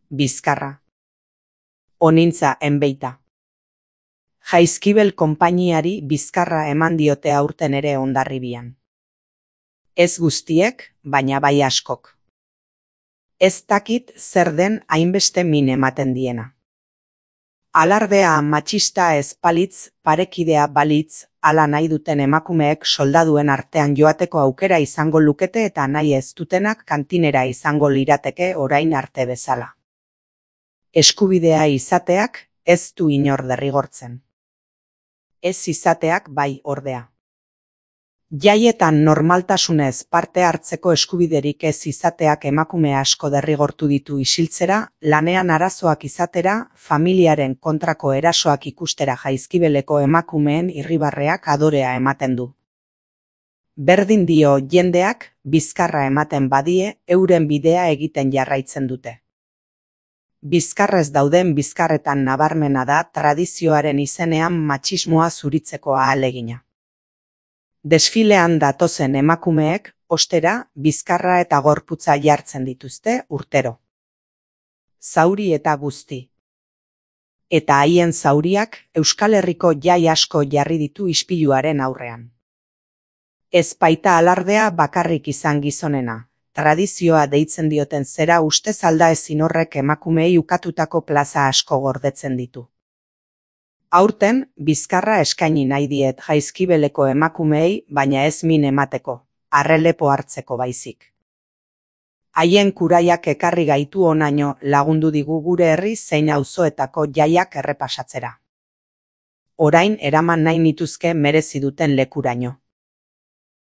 bizkarra. Onintza enbeita. Jaizkibel konpainiari bizkarra eman diote aurten ere Hondarribian. Ez guztiek, baina bai askok. Ez dakit zer den hainbeste min ematen diena. Alardea matxista ez balitz, parekidea balitz, hala nahi duten emakumeek soldaduen artean joateko aukera izango lukete eta nahi ez dutenak kantinera izango lirateke orain arte bezala. Eskubidea izateak ez du inor derrigortzen. Ez izateak bai ordea. Jaietan normaltasunez parte hartzeko eskubiderik ez izateak emakume asko derrigortu ditu isiltzera, lanean arazoak izatera, familiaren kontrako erasoak ikustera Jaizkibeleko emakumeen irribarreak adorea ematen du. Berdin dio jendeak bizkarra ematen badie euren bidea egiten jarraitzen dute. Bizkarrez dauden bizkarretan nabarmena da tradizioaren izenean matxismoa zuritzeko ahalegina. Desfilean datozen emakumeek, ostera, bizkarra eta gorputza jartzen dituzte urtero. Zauri eta guzti. Eta haien zauriak Euskal Herriko jai asko jarri ditu ispiluaren aurrean. Ez baita alardea bakarrik izan gizonena, tradizioa deitzen dioten zera ustez aldaezin horrek emakumeei ukatutako plaza asko gordetzen ditu. Aurten, bizkarra eskaini nahi diet Jaizkibeleko emakumeei, baina ez min emateko, arrelepo hartzeko baizik. Haien kuraiak ekarri gaitu honaino lagundu digu gure herri zein auzoetako jaiak errepasatzera. Orain eraman nahi nituzke merezi duten lekuraino.